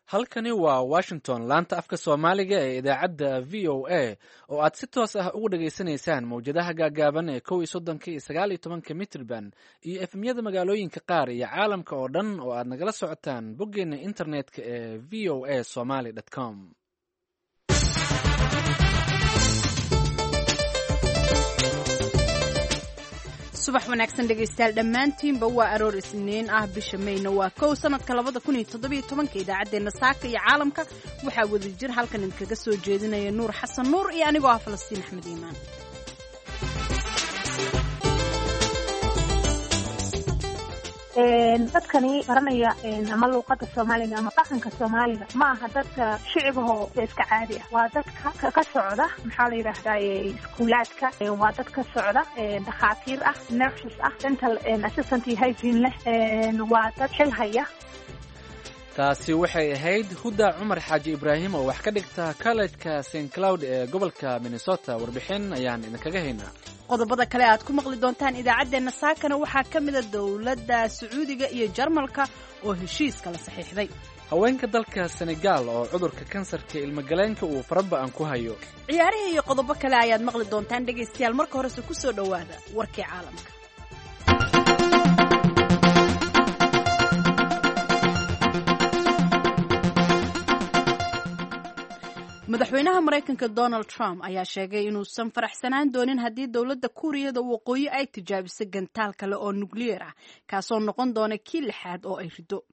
Halkani waa Washington, laanta afka Soomaaliga ee idaacadda VOA, oo aad si toos ah ugu dhageysanaysaan mawjadaha gaagaaban ee 31-ka iyo 19-ka mitrban iyo FM-yada magaalooyinka qaar iyo caalamka oo dhan oo aad nagala socotaan boggeena internetka ee voasomali.com. Subax wanaagsan dhegaystayaal dhammaantiinba. Waa aroor Isniin ah, bisha Mayna waa 1, sanadka 2017-ka. Idaacaddeenna saaka iyo caalamka waxaa wadajir halkan idinkaga soo jeedinaya Nuur Xasan Nuur iyo anigoo ah Falastiin Axmed Iimaan. Dadkani baranaya ama luuqada Soomaaliga ama dhaqanka Soomaaliga ma aha dadka shicibahoo iska caadi ah. Waa dadka ka socda, maxaa la yidhaahdaye, iskuulaadka. Waa dad ka socda dhakhaatiir ah, nurses ah, dental assistant iyo hygiene leh. Waa dad xil haya. Taasi waxay ahayd Huda Cumar Xaaji Ibraahim oo wax ka dhigta kollejka St Cloud ee gobolka Minnesota. Warbixin ayaan idinkaga haynaa. Qodobada kale aad ku maqli doontaan idaacaddeenna saakana waxaa ka mida dowladda Sacuudiga iyo Jarmalka oo heshiiska la saxiixday, haweenka dalka Senegaal oo cudurka kansarka ilmagaleenka uu faraba'an ku hayo, ciyaarihii iyo qodobo kale ayaad maqli doontaan dhegaystayaal. Marka horese ku soo dhowaada warkii caalamka. Madaxweynaha Maraykanka Donald Trump ayaa sheegay inuusan faraxsanaan doonin haddii dowladda Kuuriyada Waqooyi ay tijaabiso gantaal kale oo nukliyeer ah, kaasoo noqon doona kii lixaad oo ay rido.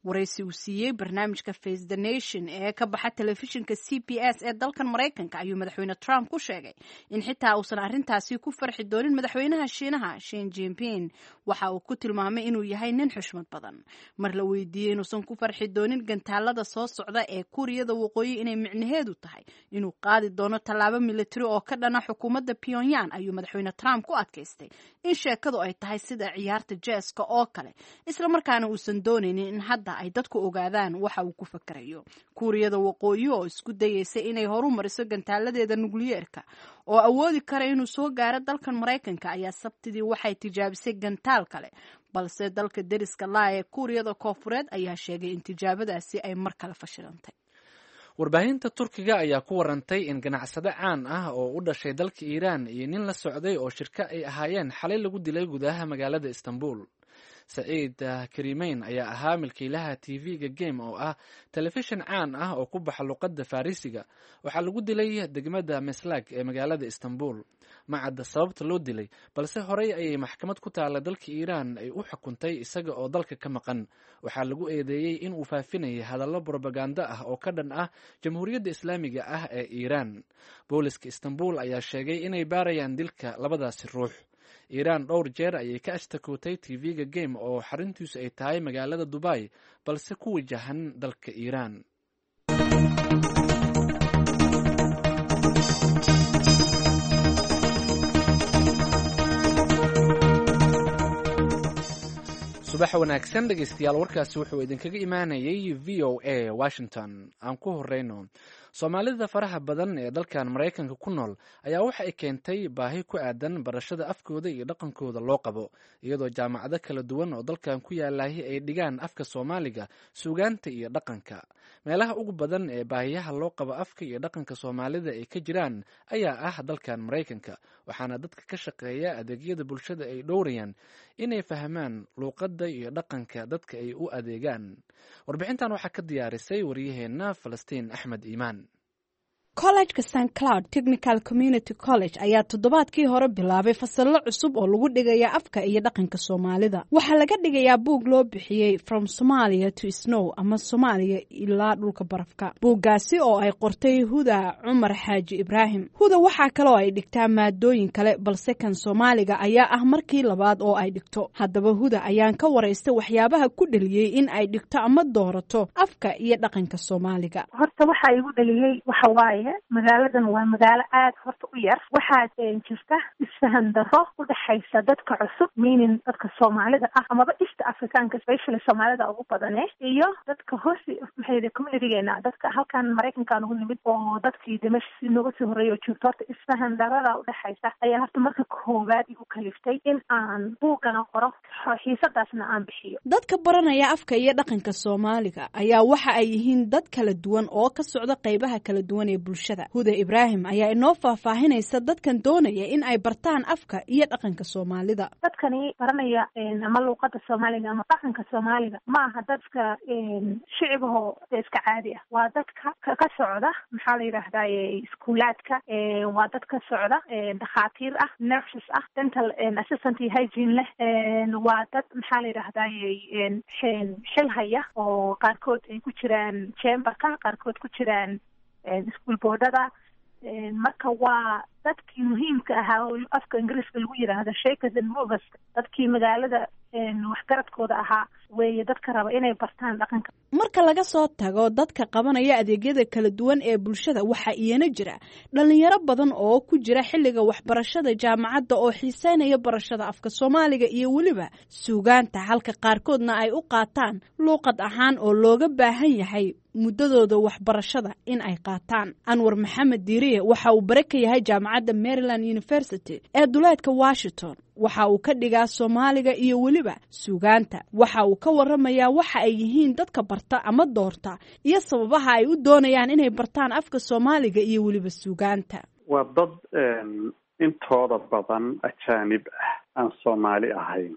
Waraysi uu siiyey barnaamijka Face the Nation ee ka baxa telefishinka CBS ee dalkan Maraykanka ayuu Madaxweyne Trump ku sheegay in xitaa uusan arrintaasi ku farxi doonin madaxweynaha Shiinaha Shin Jinping. Waxa uu ku tilmaamay inuu yahay nin xushmad badan. Mar la weydiiyey inuusan ku farxi doonin gantaalada soo socda ee Kuuriyada Waqooyi inay micnaheedu tahay inuu qaadi doono tallaabo militari oo ka dhana xukuumadda Pyongyang, ayuu Madaxweyne Trump ku adkaystay in sheekadu ay tahay sida ciyaarta jeeska oo kale, islamarkaana uusan doonaynin in hadda ay dadku ogaadaan waxa uu ku fakarayo. Kuuriyada Waqooyi oo isku dayeysa inay horu mariso gantaaladeeda nukliyeerka oo awoodi kara inuu soo gaaro dalkan Maraykanka ayaa Sabtidii waxay tijaabisay gantaal kale, balse dalka deriska laa ee Kuuriyada Koofureed ayaa sheegay in tijaabadaasi ay mar kale fashilantay. Warbaahinta Turkiga ayaa ku warantay in ganacsade caan ah oo u dhashay dalka Iiraan iyo nin la socday oo shirka ay ahaayeen xalay lagu dilay gudaha magaalada Istanbul. Saciid Karimeyn ayaa ahaa milkiilaha TV-ga Game oo ah telefishin caan ah oo ku baxa luqadda Farrisiga. Waxaa lagu dilay degmada Meslag ee magaalada Istanbul. Ma cadda sababta loo dilay, balse horey ayay maxkamad ku taalla dalka Iiraan ay u xukuntay isaga oo dalka ka maqan. Waxaa lagu eedeeyey in uu faafinayay hadallo brobagando ah oo ka dhan ah Jamhuuriyadda Islaamiga ah ee Iiraan. Booliska Istanbul ayaa sheegay inay baarayaan dilka labadaasi ruux. Iiraan dhowr jeer ayay ka ashtakootay TV-ga Game oo xaruntiisu ay tahay magaalada Dubai, balse ku wajahan dalka Iiraan. Subax wanaagsan dhegeystayaal. Warkaasi wuxuu idinkaga imaanayay VOA Washington. Aan ku horeyno, Soomaalida faraha badan ee dalkan Maraykanka ku nool ayaa waxa ay keentay baahi ku aadan barashada afkooda iyo dhaqankooda loo qabo, iyadoo jaamacado kala duwan oo dalkan ku yaalahi ay dhigaan afka Soomaaliga, suugaanta iyo dhaqanka. Meelaha ugu badan ee baahiyaha loo qabo afka iyo dhaqanka Soomaalida ay ka jiraan ayaa ah dalkan Maraykanka, waxaana dadka ka shaqeeya adeegyada bulshada ay dhowrayaan inay fahmaan luuqadda iyo dhaqanka dadka ay u adeegaan. Warbixintan waxaa ka diyaarisay waryaheenna Falastiin Axmed Iimaan. Kollejka St Cloud Technical Community College ayaa toddobaadkii hore bilaabay fasallo cusub oo lagu dhigaya afka iyo dhaqanka Soomaalida. Waxaa laga dhigayaa buug loo bixiyey From Somalia to Snow ama Soomaaliya ilaa dhulka barafka, buuggaasi oo ay qortay Huda Cumar Xaaji Ibraahim. Huda waxaa kaloo ay dhigtaa maadooyin kale, balse kan Soomaaliga ayaa ah markii labaad oo ay dhigto. Haddaba Huda ayaan ka waraystay waxyaabaha ku dheliyey in ay dhigto ama doorato afka iyo dhaqanka Soomaaliga. Horta waxaa igu dheliyey waxa waaye weeye, magaaladan waa magaalo aada horta u yar. Waxaa jirta isfahan darro u dhexaysa dadka cusub, meaning dadka Soomaalida ah amaba East Africaanka, especially Soomaalida ugu badane, iyo dadka hoos, maxay, communitygeena, dadka halkan Maraykanka ugu nimid oo dadkii de meesha si nooga sii horreeya oo joogto. Horta isfahan darrada udhexaysa ayaa horta marka koowaad igu kaliftay in aan buugana qoro, xiisadaasna aan bixiyo. Dadka baranaya afka iyo dhaqanka Soomaaliga ayaa waxa ay yihiin dad kala duwan oo ka socda qaybaha kala duwan ee bulshada. Huda Ibraahim ayaa inoo faahfaahinaysa dadkan doonaya in ay bartaan afka iyo dhaqanka Soomaalida. Dadkani baranaya ama luuqada Soomaaliga ama dhaqanka Soomaaliga ma aha dadka shicibahoo iska caadi ah. Waa dadka ka socda, maxaa la yidhaahdaye, iskuulaadka, waa dad ka socda dhakhaatiir ah, nurses ah, dental assistant iyo hygiene leh, waa dad, maxaa la yidhaahdaye, xil haya oo qaarkood ay ku jiraan chamberka, qaarkood ku jiraan school boardada. Marka waa dadkii muhiimka ahaa oo afka Ingiriiska lagu yidhaahdo shakers and movers, dadkii magaalada waxgaradkooda ahaa weeye dadka raba inay bartaan dhaqanka. Marka laga soo tago dadka qabanaya adeegyada kala duwan ee bulshada, waxaa iyana jira dhalinyaro badan oo ku jira xilliga waxbarashada jaamacadda oo xiiseynaya barashada afka Soomaaliga iyo weliba suugaanta, halka qaarkoodna ay u qaataan luuqad ahaan oo looga baahan yahay muddadooda waxbarashada in ay qaataan. Anwar Maxamed Diiriye waxa uu bare ka yahay jaamacadda Maryland University ee duleedka Washington. Waxa uu ka dhigaa Soomaaliga iyo weliba suugaanta. Waxa uu ka waramayaa waxa ay yihiin dadka barta ama doorta iyo sababaha ay u doonayaan inay bartaan afka Soomaaliga iyo weliba suugaanta. Waa dad intooda badan ajaanib ah, aan Soomaali ahayn.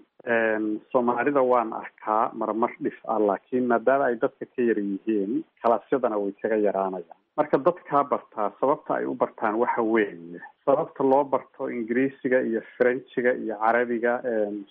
Soomaalida waan arkaa marmar dhif ah, laakiin maadaama ay dadka ka yar yihiin, kalaasyadana way kaga yaraanayaan. Marka dadkaa bartaa, sababta ay u bartaan waxa weeye sababta loo barto Ingiriisiga iyo Frenchiga iyo Carabiga,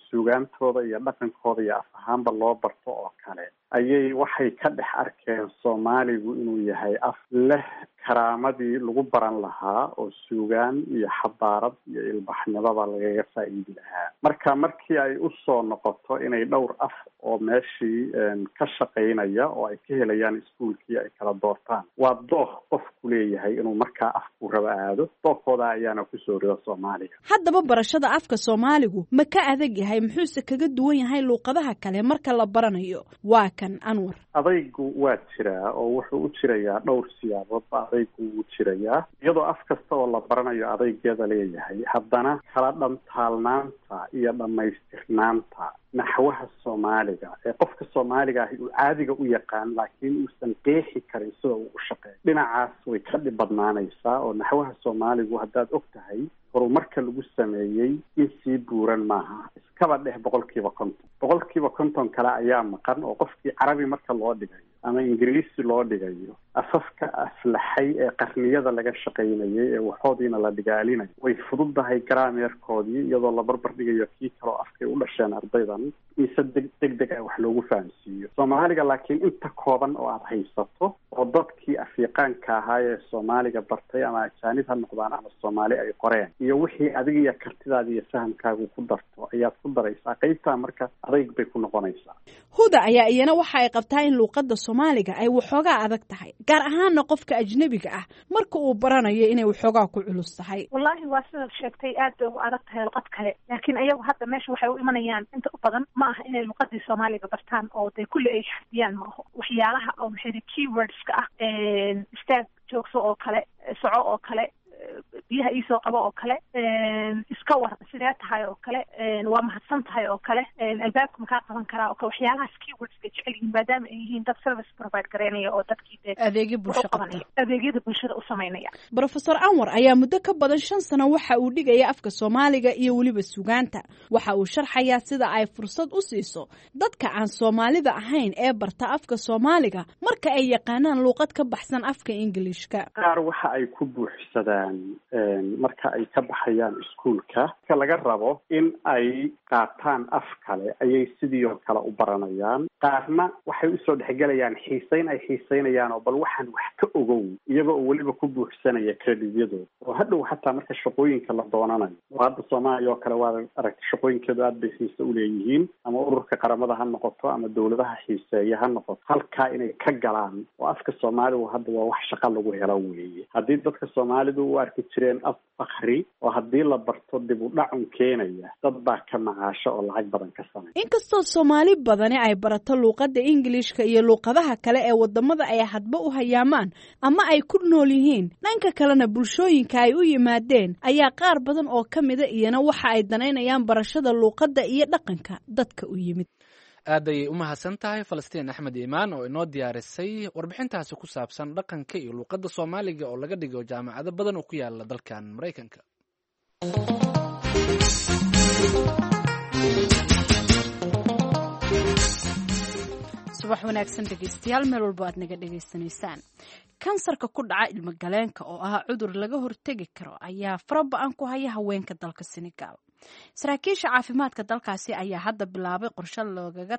suugaantooda iyo dhaqankooda iyo af ahaanba loo barto oo kale ayay waxay ka dhex arkeen Soomaaligu inuu yahay af leh karaamadii lagu baran lahaa oo suugaan iyo xadaarad iyo ilbaxnimada lagaga faa'iidi lahaa. Marka markii ay usoo noqoto inay dhowr af oo meeshii ka shaqaynaya oo ay ka helayaan iskuolkii ay kala doortaan, waa dooq qofku leeyahay inuu markaa afku raba aado. Dookooda ayaana kusoo rida Soomaaliga. Haddaba barashada afka Soomaaligu ma ka adag yahay, muxuuse kaga duwan yahay luuqadaha kale marka la baranayo? Waa kan Anwar. Adaygu waa jiraa oo wuxuu u jirayaa dhowr siyaaboodba. Adaygu wuu jirayaa iyadoo af kasta oo la baranayo adaygeeda leeyahay, haddana kala dhantaalnaanta iyo dhammaystirnaanta naxwaha Soomaaliga ee qofka Soomaaliga ahi uu caadiga u yaqaan laakiin uusan qeexi karin sida uu u shaqeeyo, dhinacaas way ka dhib badnaanaysaa. Oo naxwaha Soomaaligu, haddaad og tahay horumarka lagu sameeyey, in sii buuran maaha, iskaba dheh 50%. 50% kale ayaa maqan oo qofkii Carabi marka loo dhigayo ama Ingiriisi loo dhigayo, afafka aflaxay ee qarniyada laga shaqaynayay ee waxoodiina la dhigaalinayo, way fududahay garaameerkoodii iyadoo la barbar dhigayo kii kaleo afkay u dhasheen ardaydan in se deg deg deg ah wax loogu fahamsiiyo Soomaaliga. Laakiin inta kooban oo aada haysato oo dadkii afyaqaanka ahaa ee Soomaaliga bartay, ama ajaanib ha noqdaan ama Soomaali, ay qoreen iyo wixii adiga iyo kartidaada iyo fahamkaagu ku darto ayaad ku daraysaa qeybtaa. Marka adayg bay ku noqonaysaa. Huda ayaa iyana waxa ay qabtaa in luuqadda Soomaaliga ay waxoogaa adag tahay, gaar ahaana qofka ajnebiga ah marka uu baranayo inay waxoogaa ku culus tahay. Wallaahi waa sidaad sheegtay, aad bay ugu adag tahay luqad kale, laakiin ayagu hadda meesha waxay u imanayaan inta u badan ma aha inay luqadii Soomaaliga bartaan oo dee kulli ay xafdiyaan. Ma aho waxyaalaha oo maxay keywordska ah, istaag, joogso oo kale, soco oo kale, biyaha iisoo qabo oo kale, iska war, sidee tahay oo kale, waa mahadsan tahay oo kale, albaabka makaa qaban karaa oo kale, waxyaalahaas keywordska jecel yihiin maadaama ay yihiin dad service provide garaynaya oo dadkii dee adeegyo bulsho qabta. Adeegyada bulshada u samaynaya. Brofesor Anwar ayaa muddo ka badan 5 sano waxa uu dhigaya afka Soomaaliga iyo weliba suugaanta. Waxa uu sharxayaa sida ay fursad u siiso dadka aan Soomaalida ahayn ee barta afka Soomaaliga marka ay yaqaanaan luuqad ka baxsan afka Ingiliishka. Qaar waxa ay ku buuxsadaan Marka ay ka baxayaan iskuulka, marka laga rabo in ay qaataan af kale ayay sidii oo kale u baranayaan. Qaarna waxay usoo dhexgelayaan xiiseyn ay xiiseynayaan oo bal waxaan wax ka ogow, iyaga oo weliba ku buuxsanaya credityadooda, oo hadhow xataa marka shaqooyinka la doonanayo, oo hadda Soomaaliya oo kale waad aragta, shaqooyinkeedu aad bay xiise uleeyihiin, ama ururka qaramada ha noqoto ama dowladaha xiiseeya ha noqoto, halkaa inay ka galaan. Oo afka soomaaligu hadda waa wax shaqa lagu helo weeye. Haddii dadka soomaalidu u arki jireen af fakri oo haddii la barto dib u dhacun keenaya, dad baa ka macaasho oo lacag badan ka samey. Inkastoo Soomaali badani ay barato luuqadda Ingiliishka iyo luuqadaha kale ee wadamada ay hadba u hayaamaan ama ay ku nool yihiin, dhanka kalena bulshooyinka ay u yimaadeen ayaa qaar badan oo ka mida iyana waxa ay danaynayaan barashada luuqadda iyo dhaqanka dadka u yimid. Aad ayay u mahadsan tahay Falastiin Axmed Iimaan oo inoo diyaarisay warbixintaasi ku saabsan dhaqanka iyo luuqadda soomaaliga oo laga dhigo jaamacado badan oo ku yaala dalkan Maraykanka. Subax wanaagsan dhegeystayaal, meel walbo aad naga dhegaysanaysaan. Kansarka ku dhaca ilmogaleenka oo ah cudur laga hortegi karo ayaa faraba-an ku haya haweenka dalka Senegal. Saraakiisha caafimaadka dalkaasi ayaa hadda bilaabay qorshe loogaga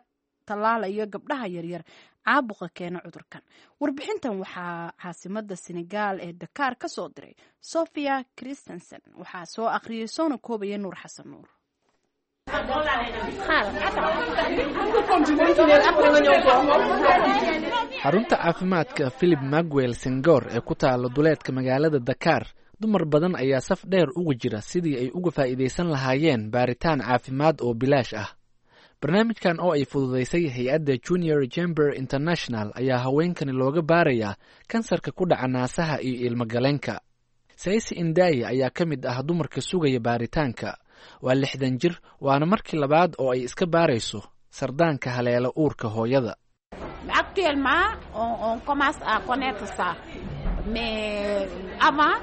tallaalayo gabdhaha yaryar caabuqa keena cudurkan. Warbixintan waxaa caasimada Senegal ee Dakaar ka soo diray Sophia Christensen, waxaa soo akhriyay soona koobaya Nuur Xasan Nuur. Xarunta caafimaadka Philip Maguel Sengor ee ku taala duleedka magaalada Dakaar, dumar badan ayaa saf dheer uga jira sidii ay uga faa'iidaysan lahaayeen baaritaan caafimaad oo bilaash ah. Barnaamijkan oo ay fududaysay hay-adda Junior Chamber International ayaa haweenkani looga baarayaa kansarka ku dhaca naasaha iyo ilmogaleenka. Saysi Indaayi ayaa ka mid ah dumarka sugaya baaritaanka. Waa 60 jir, waana markii labaad oo ay iska baarayso sardaanka haleela uurka hooyada. Actuellement, on commence à connaître ça. Mais avant,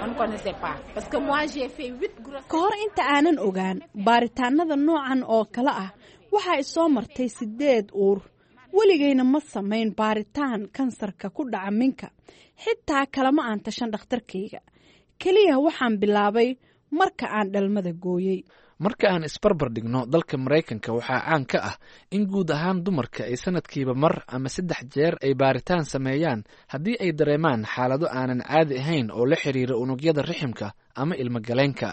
on ne connaissait pas. Parce que moi, j'ai fait huit grossesses. Ka hor inta aanan ogaan baaritaanada noocan oo kale ah, waxaa isoo martay sideed uur. Weligayna ma samayn baaritaan kansarka ku dhaca minka, xitaa kalama aan tashan dhakhtarkayga. Keliya waxaan bilaabay marka aan dhalmada gooyey. Marka aan isbarbar dhigno dalka Maraykanka, waxaa caan ka ah in guud ahaan dumarka ay sanadkiiba mar ama saddex jeer ay baaritaan sameeyaan haddii ay dareemaan xaalado aanan caadi ahayn oo la xiriira unugyada riximka ama ilmogaleenka.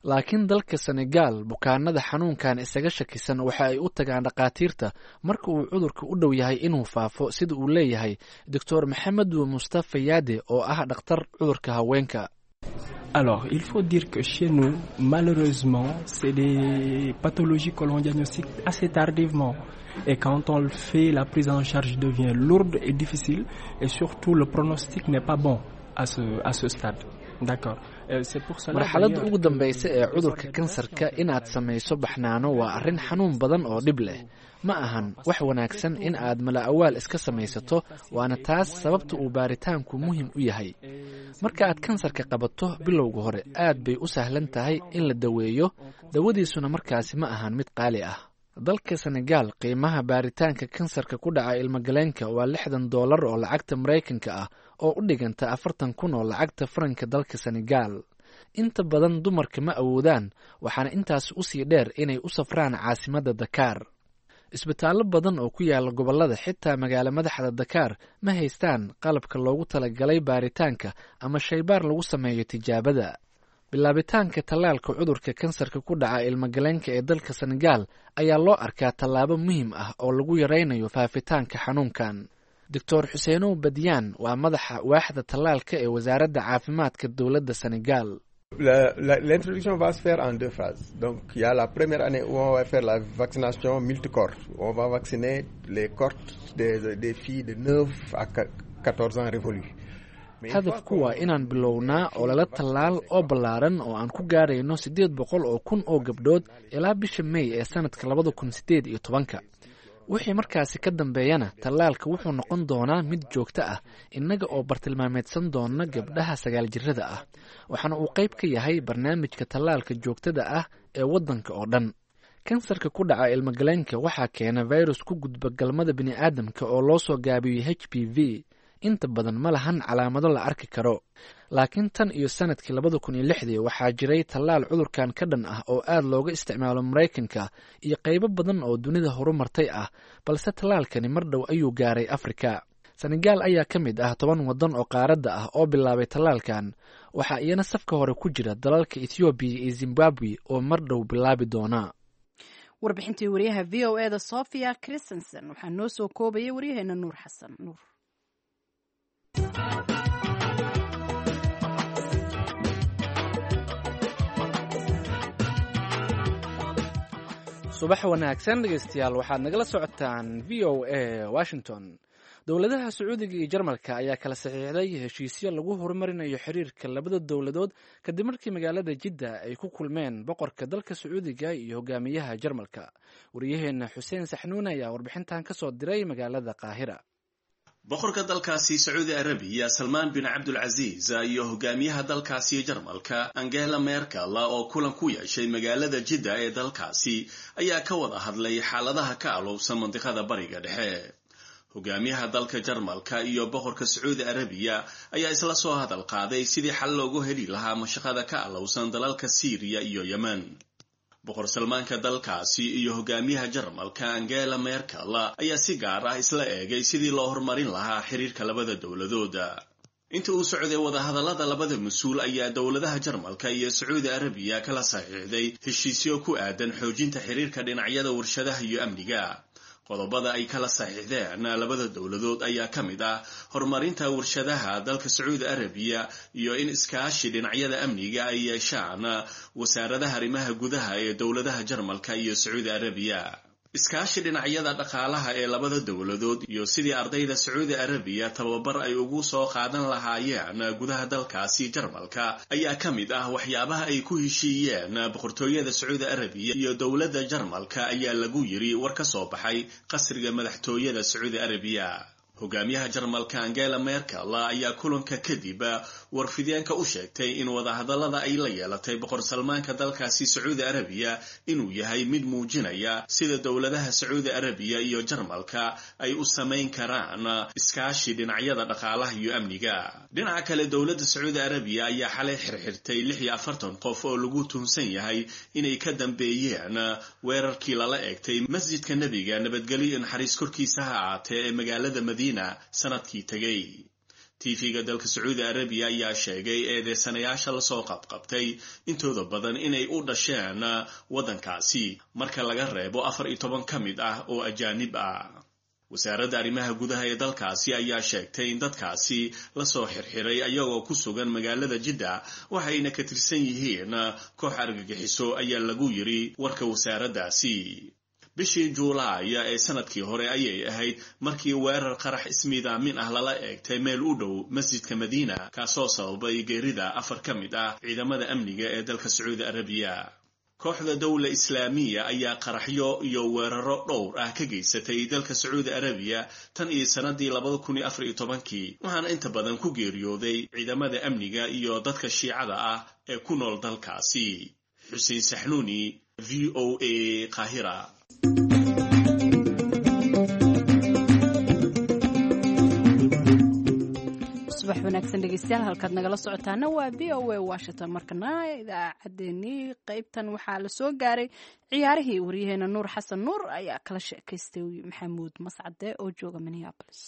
Laakiin dalka Senegal, bukaanada xanuunkan isaga shakisan waxa ay u tagaan dhakhaatiirta marka uu cudurka u dhow yahay inuu faafo, sida uu leeyahay Doctor Maxamedu Mustafa Yaade oo ah dhakhtar cudurka haweenka. Alors, il faut dire que chez nous, malheureusement, c'est des pathologies que l'on diagnostique assez tardivement. Et quand on le fait, la prise en charge devient lourde et difficile. Et surtout, le pronostic n'est pas bon à ce stade. D'accord. C'est pour cela Marxaladda ugu dambaysa ee cudurka kansarka inaad samayso baxnaano waa arrin xanuun badan oo dhib leh. Ma ahan wax wanaagsan in aad mala-awaal iska samaysato, waana taas sababta uu baaritaanku muhim u yahay. Marka aad kansarka qabato bilowga hore, aad bay u sahlan tahay in la daweeyo, dawadiisuna markaasi ma ahan mid qaali ah. Dalka Senegal, qiimaha baaritaanka kansarka ku dhaca ilmogaleenka waa $60 oo lacagta Maraykanka ah, oo u dhiganta 40,000 oo lacagta faranka dalka Senegal. Inta badan dumarka ma awoodaan, waxaana intaas usii dheer inay u safraan caasimadda Dakaar. Isbitaallo badan oo ku yaala gobollada, xitaa magaalo madaxda Dakaar, ma haystaan qalabka loogu talagalay baaritaanka ama shaybaar lagu sameeyo tijaabada. Bilaabitaanka tallaalka cudurka kansarka ku dhaca ilmogaleenka ee dalka Senegal ayaa loo arkaa tallaabo muhiim ah oo lagu yaraynayo faafitaanka xanuunkan. Doctor Xuseenow Badyaan waa madaxa waaxda tallaalka ee wasaaradda caafimaadka dowladda Senegal. L'introduction va se faire en deux phases. Donc, il y a la première année où on va faire la vaccination multicohorte. On va vacciner les cohortes des filles de 9 à 14 ans révolues. Hadafku waa inaan bilownaa olole tallaal oo ballaaran oo aan ku gaarayno 800,000 oo gabdhood ilaa bisha May ee sanadka 2018-ka. Wixii markaasi ka dambeeyana, tallaalka wuxuu noqon doonaa mid joogto ah, innaga oo bartilmaameedsan doona gabdhaha 9 jirada ah, waxaana uu qayb ka yahay barnaamijka tallaalka joogtada ah ee waddanka oo dhan. Kansarka ku dhaca ilmogaleenka waxaa keena virus ku gudba galmada bini'aadamka oo loo soo gaabiyo HPV. Inta badan ma lahan calaamado la arki karo, laakiin tan iyo sanadkii 2006-dii waxaa jiray tallaal cudurkan ka dhan ah oo aad looga isticmaalo Maraykanka iyo qaybo badan oo dunida horumartay ah, balse tallaalkani mar dhow ayuu gaaray Afrika. Senegaal ayaa ka mid ah 10 waddan oo qaaradda ah oo bilaabay tallaalkan. Waxaa iyana safka hore ku jira dalalka Ethoobiya iyo Zimbabwe oo mar dhow bilaabi doona. Warbixintii wariyaha v o eda Sofia Christensen waxaa noo soo koobayay waryaheena Nuur Xasan Nuur. Subax wanaagsan dhegeystayaal, waxaad nagala socotaan v o a Washington. Dowladaha Sacuudiga iyo Jarmalka ayaa kala saxiixday heshiisyo lagu horumarinayo xiriirka labada dowladood kadib markii magaalada Jidda ay ku kulmeen boqorka dalka Sacuudiga iyo hogaamiyaha Jarmalka. Wariyaheena Xuseen Saxnuun ayaa warbixintan kasoo diray magaalada Qaahira. Boqorka dalkaasi Sacuudi Arabiya Salmaan bin Cabdulcasiis iyo hogaamiyaha dalkaasi Jarmalka Angela Merkel oo kulan ku yeeshay magaalada Jidda ee dalkaasi ayaa ka wada hadlay xaaladaha ka alowsan mandiqada Bariga Dhexe. Hogaamiyaha dalka Jarmalka iyo boqorka Sacuudi Arabiya ayaa isla soo hadal qaaday sidii xal loogu heli lahaa mashaqada ka alowsan dalalka Siiriya iyo Yemen. Boqor Salmaanka dalkaasi iyo hogaamiyaha Jarmalka Angela Merkel ayaa si gaar ah isla eegay sidii loo horumarin lahaa xiriirka labada dowladooda. Inta uu socday wadahadallada labada mas-uul ayaa dowladaha Jarmalka iyo Sacuudi Arabiya kala saxiixday heshiisyo ku aadan xoojinta xiriirka dhinacyada warshadaha iyo amniga. Qodobada ay kala saxiixdeen labada dowladood ayaa ka mid ah horumarinta warshadaha dalka Sacuudi Arabiya iyo in iskaashi dhinacyada amniga ay yeeshaan wasaaradaha arrimaha gudaha ee dowladaha Jarmalka iyo Sacuudi Arabiya. Iskaashi dhinacyada dhaqaalaha ee labada dowladood iyo sidii ardayda Sacuudi Arabiya tababar ay ugu soo qaadan lahaayeen gudaha dalkaasi Jarmalka ayaa ka mid ah waxyaabaha ay ku heshiiyeen boqortooyada Sacuudi Arabiya iyo dowladda Jarmalka, ayaa lagu yiri war ka soo baxay qasriga madaxtooyada Sacuudi Arabiya. Hogaamiyaha Jarmalka Angela Merkel ayaa kulanka kadib warfideenka u sheegtay in wadahadallada ay la yeelatay boqor Salmaanka dalkaasi Sacuudi Arabiya inuu yahay mid muujinaya sida dowladaha Sacuudi Arabiya iyo Jarmalka ay u samayn karaan iskaashi dhinacyada dhaqaalaha iyo amniga. Dhinaca kale, dowladda Sacuudi Arabiya ayaa xalay xirxirtay 46 qof oo lagu tuhunsan yahay inay ka dambeeyeen weerarkii lala eegtay masjidka Nebiga nabadgelyo iyo naxariis korkiisa ha ahaatee ee magaalada Madiina sanadkii tegay. Tv-ga dalka Sacuudi Arabiya ayaa sheegay eedeysanayaasha lasoo qabqabtay intooda badan inay u dhasheen waddankaasi marka laga reebo 14 ka mid ah oo ajaanib ah. Wasaaradda arrimaha gudaha ee dalkaasi ayaa sheegtay in dadkaasi lasoo xirxiray ayagoo ku sugan magaalada Jidda, waxayna ka tirsan yihiin koox argagixiso, ayaa lagu yiri warka wasaaraddaasi. Bishii Juulaay ee sanadkii hore ayay ahayd markii weerar qarax ismiidaamin ah lala eegtay meel u dhow masjidka Madiina, kaasoo sababay geerida 4 ka mid ah ciidamada amniga ee dalka Sacuudi Arabiya. Kooxda Dowla Islaamiya ayaa qaraxyo iyo weeraro dhowr ah ka geysatay dalka Sacuudi Arabiya tan iyo sanadii 2014-kii, waxaana inta badan ku geeriyooday ciidamada amniga iyo dadka shiicada ah ee ku nool dalkaasi. Xuseen Saxnuuni, v o a, Qaahira. Subax wanaagsan dhegeystayaal, halkaad nagala socotaana waa v o a Washington. Markana idaacaddeenii qeybtan waxaa la soo gaaray ciyaarihii. Waryaheena Nuur Xasan Nuur ayaa kala sheekaystay Maxamuud Mascade oo jooga Minneapolis.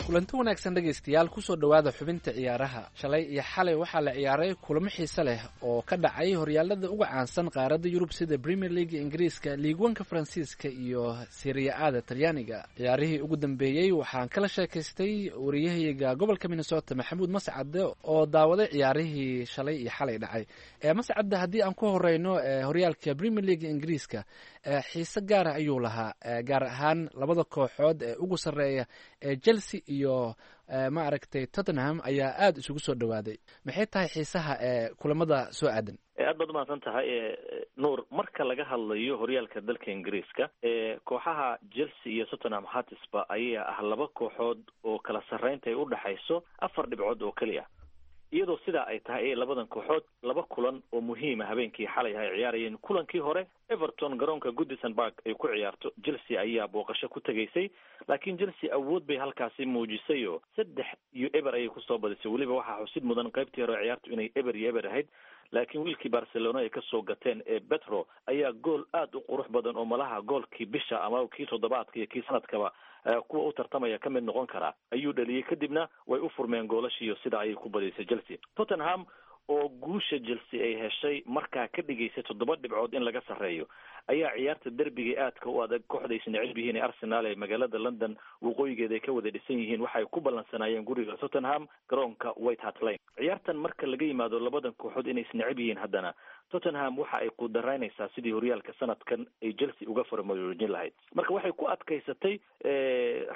Kulanti wanaagsan dhegaystayaal, kusoo dhowaada xubinta ciyaaraha. Shalay iyo xalay waxaa la ciyaaray kulamo xiise leh oo ka dhacay horyaalada uga caansan qaaradda Yurub sida Premier League Ingiriiska, Liigwanka Faransiiska iyo Seriya-ada Talyaaniga. Ciyaarihii ugu dambeeyey waxaan kala sheekaystay wariyahayga gobolka Minnesota Maxamuud Mascade oo daawaday ciyaarihii shalay iyo xalay dhacay. Mascade, haddii aan ku horeyno horyaalka Premier League Ingiriiska, xiise gaara ayuu lahaa, gaar ahaan labada kooxood ee ugu sarreeya ee Chelsea iyo ma aragtay Tottenham ayaa aada isugu soo dhawaaday. Maxay tahay xiisaha ee kulamada soo aadan? Aad baad umahadsan tahay Nuur. Marka laga hadlayo horyaalka dalka Ingiriiska, kooxaha Chelsea iyo Tottenham Hotspur ayaa ah laba kooxood oo kala sarreynta ay udhexayso 4 dhibcood oo keliya, Iyadoo sidaa ay tahay ee labadan kooxood laba kulan oo muhiima habeenkii xalay ay ciyaarayeen. Kulankii hore Everton garoonka Goodison Park ay ku ciyaarto Chelsea ayaa booqasho ku tegaysay, laakiin Chelsea awood bay halkaasi muujisay oo 3-0 ayay kusoo badisay. Weliba waxaa xusid mudan qaybtii hore ciyaartu inay 0-0 ahayd, laakiin wiilkii Barcelona ay kasoo gateen ee Petro ayaa gool aada u qurux badan oo malaha goolkii bisha ama kii toddobaadka iyo kii sanadkaba kuwa u tartamaya ka mid noqon karaa ayuu dhaliyey. Kadibna way u furmeen goolashiiyo sidaa ayay ku badisay Chelsea. Tottenham oo guusha Chelsea ay heshay markaa ka dhigaysay 7 dhibcood in laga sarreeyo ayaa ciyaarta derbiga aadka u adag kooxda is neceb yihiin ee Arsenal ee magaalada London waqooyigeeda ay ka wada dhisan yihiin waxay ku ballansanaayeen guriga Tottenham garoonka White Hart Lane. Ciyaartan marka laga yimaado labadan kooxood inay isneceb yihiin, haddana Tottenham waxa ay qudaraynaysaa sidii horyaalka sanadkan ay Chelsea uga farmaroojin lahayd. Marka waxay ku adkaysatay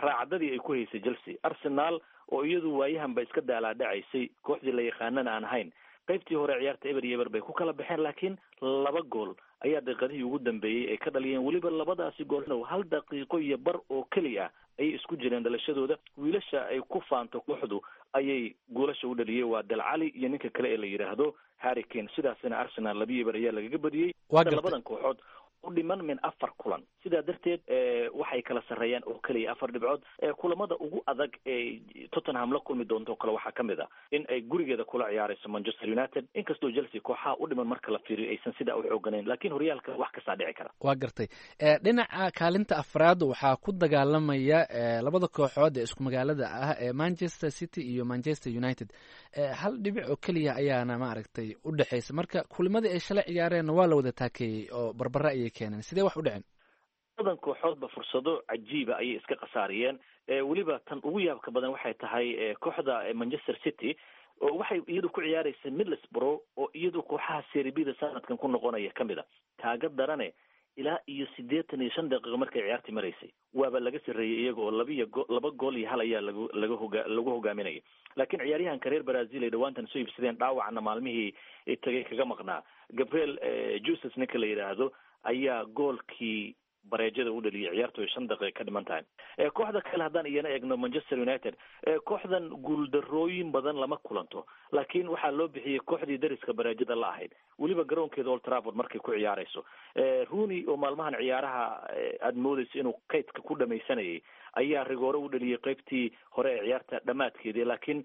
raacdadii ay ku haysay Chelsea. Arsenal oo iyadu waayahanba iska daalaadhacaysay, kooxdii la yaqaanana aan ahayn, qaybtii hore ciyaarta 0-0 bay ku kala baxeen, laakiin 2 gool ayaa daqiiqadihii ugu dambeeyey ay ka dhaliyeen. Weliba labadaasi gool hal daqiiqo iyo bar oo keli ah ayay isku jireen dhalashadooda. Wiilasha ay ku faanto kooxdu ayay goolasha u dhaliyey, waa Dalcali iyo ninka kale ee la yidhaahdo Harry Kane. Sidaasina Arsenal 2-0 ayaa lagaga badiyey. Labadan kooxood u dhiman min 4 kulan, sidaa darteed waxay kala sarreeyaan oo keliya 4 dhibcood. Kulamada ugu adag ee Tottenham la kulmi doonto kale waxaa ka mid ah in ay gurigeeda kula ciyaarayso Manchester United, inkastoo Chelsea kooxaha u dhiman marka la fiiriyo aysan sidaa u xooganayn, laakiin horyaalka wax kastaa dhici kara. Waa gartay. Dhinaca kaalinta afraad waxaa ku dagaalamaya labada kooxood ee isku magaalada ah ee Manchester City iyo Manchester United. Hal dhibic oo keliya ayaana maaragtay u dhexeysa. Marka kulimadii ay shalay ciyaareenna waa la wada taakeeyey oo barbara ayay keeneen. Sidee wax u dhaceen? Labadan kooxoodba fursado cajiiba ayay iska khasaariyeen. Weliba tan ugu yaabka badan waxay tahay kooxda Manchester City oo waxay iyadu ku ciyaaraysa Middlesbrough oo iyadu kooxaha Serie B-da sanadkan ku noqonaya kamid a. Kaaga darane ilaa iyo 85 daqiiqo markay ciyaartii maraysay waaba laga sarreeyey iyaga oo 2 gool iyo 1 ayaa lagu hogaaminayay. Laakiin ciyaaryahanka reer Brazil ay dhawaantan soo iibsadeen, dhaawacna maalmihii tagay kaga maqnaa, Gabriel Jesus ninka la yidhaahdo ayaa goolkii bareejada u dhaliyay ciyaartu ay 5 daqiiqo ka dhiman tahay. Kooxda kale haddaan iyana eegno Manchester United, kooxdan guuldarrooyin badan lama kulanto, laakiin waxaa loo bixiyey kooxdii dariska bareejada la ahayd, weliba garoonkeeda Old Trafford markay ku ciyaarayso. Rooney oo maalmahan ciyaaraha aada moodayso inuu kaydka ku dhamaysanayay ayaa rigoore u dhaliyey qaybtii hore ee ciyaarta dhammaadkeedii, laakiin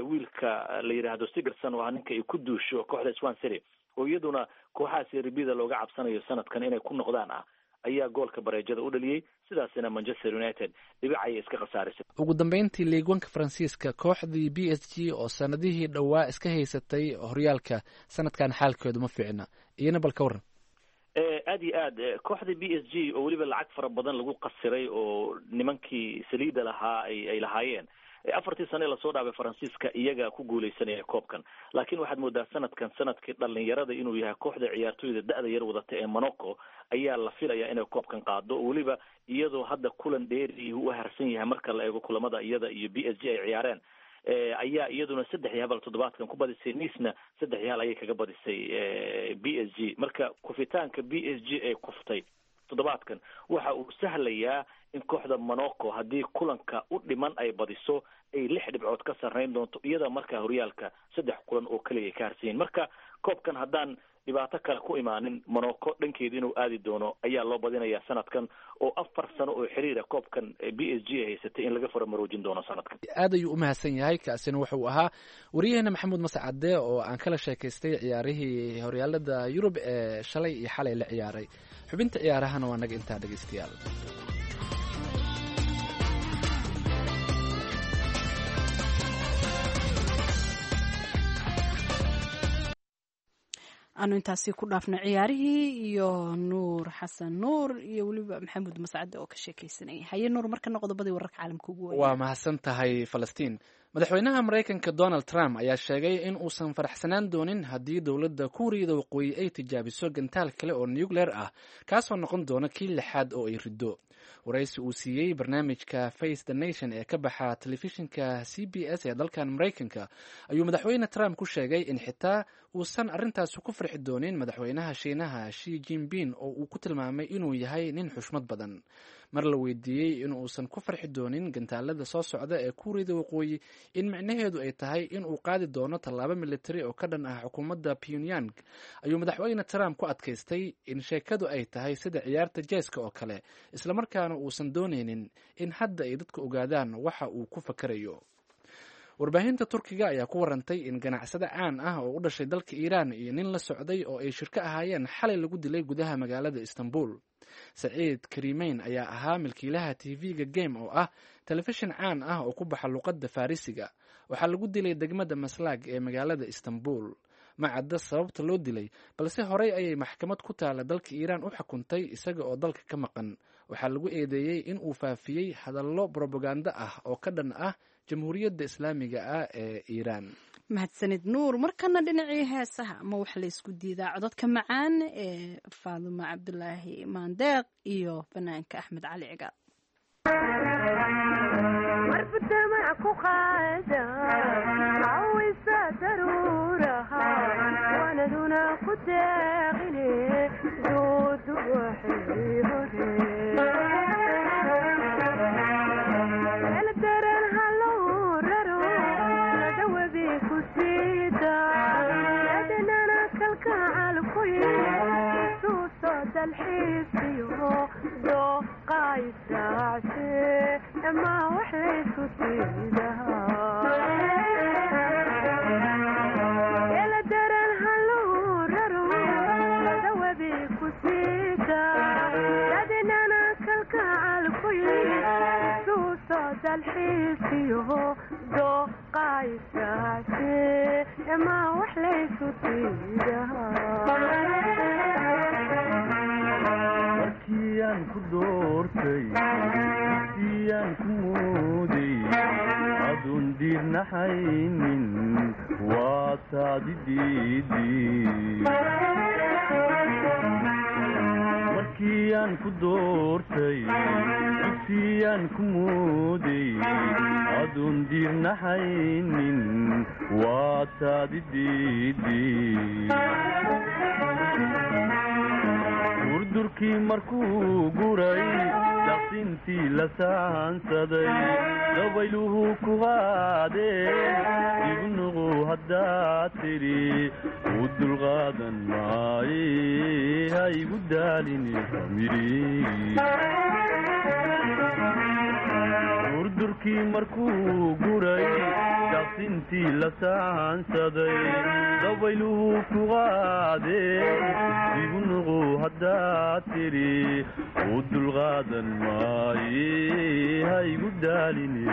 wiilka la yidhaahdo Sigurdsson oo ah ninka ay ku duusho kooxda Swansea City oo iyaduna kooxaha Serie B-da looga cabsanayo sanadkan inay ku noqdaan ah ayaa goolka bareejada u dhaliyey. Sidaasina Manchester United dhibic ayay iska khasaarisay. Ugu dambeyntii liigwanka Faransiiska, kooxdii PSG oo sanadihii dhowaa iska haysatay horyaalka, sanadkan xaalkeedu ma fiicna, iyana bal ka warran. Aad iyo aad kooxda PSG oo weliba lacag fara badan lagu qasiray oo nimankii saliida lahaa ay lahaayeen 4tii sane lasoo dhaafay Faransiiska iyaga ku guuleysanaya koobkan, laakiin waxaad moodaa sanadkan sanadkii dhalinyarada inuu yahay. Kooxda ciyaartoyda da-da yar wadata ee Monaco ayaa la filayaa inay koobkan qaado, weliba iyadoo hadda kulan dheeri u harsan yahay marka la eego kulamada iyada iyo PSG ay ciyaareen ayaa iyaduna 3-0 toddobaadkan ku badisay. Nice-na 3-0 ayay kaga badisay PSG. Marka kufitaanka PSG ay kuftay toddobaadkan waxa uu sahlayaa in kooxda Monaco haddii kulanka u dhiman ay badiso ay 6 dhibcood ka sarreyn doonto, iyada markaa horyaalka 3 kulan oo keliya ay ka harsan yihiin. Marka koobkan haddaan dhibaato kale ku imaanin Monaco dhankeeda inuu aadi doono ayaa loo badinayaa sanadkan oo 4 sano oo xiriira koobkan PSG ay haysatay in laga faramaroojin doono sanadkan. Aad ayuu u mahadsan yahay. Kaasina wuxuu ahaa wariyaheena Maxamuud Mascade oo aan kala sheekaystay ciyaarihii horyaalada Yurub ee shalay iyo xalay la ciyaaray. Xubinta ciyaarahana waa naga intaa dhegeystayaal. Aanu intaasi ku dhaafno ciyaarihii iyo Nuur Xasan Nuur iyo weliba Maxamuud Mascade oo ka sheekaysanayay. Haye Nuur, markana qodobadii wararka caalamka ugu weyn. Waa mahadsan tahay Falastiin. Madaxweynaha Maraykanka Donald Trump ayaa sheegay in uusan faraxsanaan doonin haddii dowladda Kuuriyada Waqooyi ay tijaabiso gantaal kale oo nucleer ah, kaasoo noqon doona kii lixaad oo ay riddo. Waraysi uu siiyey barnaamijka Face the Nation ee ka baxa telefishinka CBS ee dalkan Maraykanka ayuu madaxweyne Trump ku sheegay in xitaa uusan arrintaasi ku farxi doonin madaxweynaha Shiinaha Shi Jinping oo uu ku tilmaamay inuu yahay nin xushmad badan. Mar la weydiiyey in uusan ku farxi doonin gantaalada soo socda ee Kuuriyada Waqooyi in micnaheedu ay tahay in uu qaadi doono tallaabo militari oo ka dhan ah xukuumadda Pyongyang, ayuu madaxweyne Trump ku adkaystay in sheekadu ay tahay sida ciyaarta jeeska oo kale, islamarkaana uusan doonaynin in hadda ay dadku ogaadaan waxa uu ku fakarayo. Warbaahinta Turkiga ayaa ku warantay in ganacsade caan ah oo u dhashay dalka Iiraan iyo nin la socday oo ay shirko ahaayeen xalay lagu dilay gudaha magaalada Istanbul. Saciid Karimeyn ayaa ahaa milkiilaha TV-ga Game oo ah telefishin caan ah oo ku baxa luqadda Farisiga. Waxaa lagu dilay degmada Maslaag ee magaalada Istanbul. Ma cadda sababta loo dilay, balse horey ayay maxkamad ku taala dalka Iiraan u xukuntay isaga oo dalka ka maqan. Waxaa lagu eedeeyey in uu faafiyey hadallo brobagando ah oo ka dhan ah Jamhuuriyadda Islaamiga ah ee Iiraan. Mahadsanid Nuur. Markana dhinacii heesaha, ma wax la isku diidaa codadka macaan ee Faadumo Cabdulaahi Maandeeq iyo fanaanka Axmed Cali Cigaal. Markiyaan ku doortay, siyaan ku mooday, adoon diirnaxaynin waa taadi diidi. Markiyaan ku doortay, dugsiyaan ku mooday, adoon diirnaxaynin waa taadi diidi. Durdurkii markuu guray, daqsintii la saansaday, dabayluhu ku qaadeen, igu nuqu haddaad tidhi u dulqaadan maaye, ha igu daalini. Durdurkii markuu guray, daqsintii la saansaday, dabayluhu ku qaadeen, igu nuqu haddaad tidhi u dulqaadan maaye, ha igu daalini.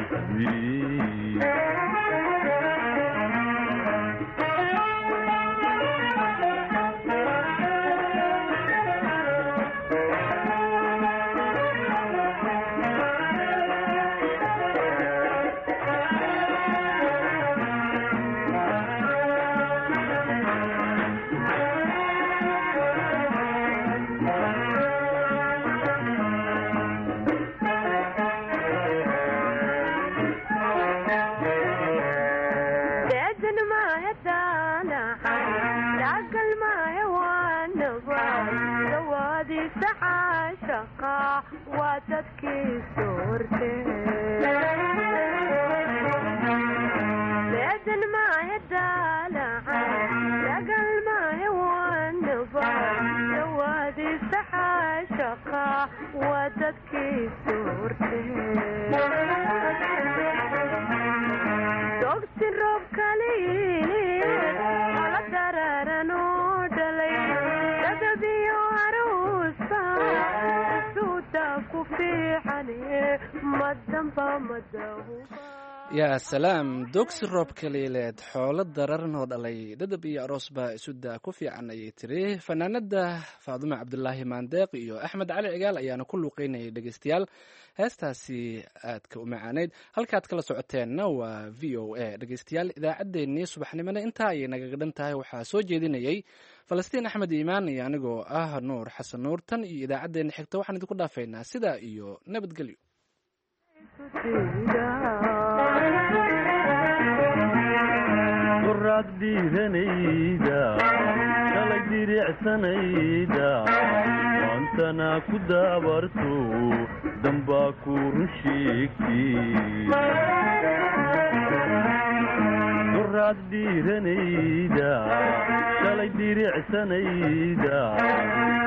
Yaa salaam, doogsi roob kaliileed, xoolo dararnoo dhalay, dhadab iyo aroos baa isudaa ku fiican, ayay tiri fanaanada Faadumo Cabdulaahi Maandeeq iyo Axmed Cali Cigaal ayaana ku luuqeynayay. Dhegeystayaal, heestaasi aadka u macaaneyd halkaad kala socoteenna waa VOA. Dhegeystayaal, idaacaddeenii subaxnimona intaa ayay nagaga dhan tahay. Waxaa soo jeedinayay Falastiin Axmed Iimaan iyo anigoo ah Nuur Xasan Nuur. Tan iyo idaacaddeenna xigta waxaan idinku dhaafaynaa sidaa iyo nabadgelyo. Qoraad dhiiranayda shalay Shalay diricsanayda maantana ku daabarto, dambaa ku run sheegti. Duraad dhiiranayda, shalay diricsanayda,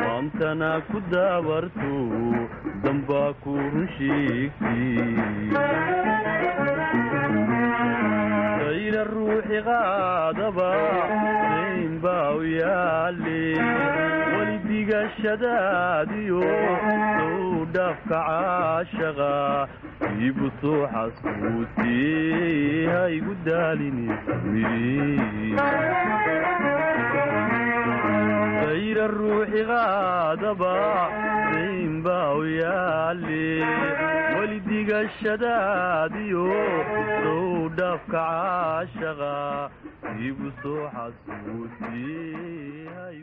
maantana ku daabarto, dambaa ku run sheegti. Dayra ruuxi qaadaba dayn baa u yaale, weli digashadaadiyo sow dhaafka caashaqa iibu soo xasuutiyey, ha igu daalini. Dayra ruuxi qaadaba dayn baa u yaale, weli digashadaadiyo sow dhaafka caashaqa iibu soo xasuutiyey.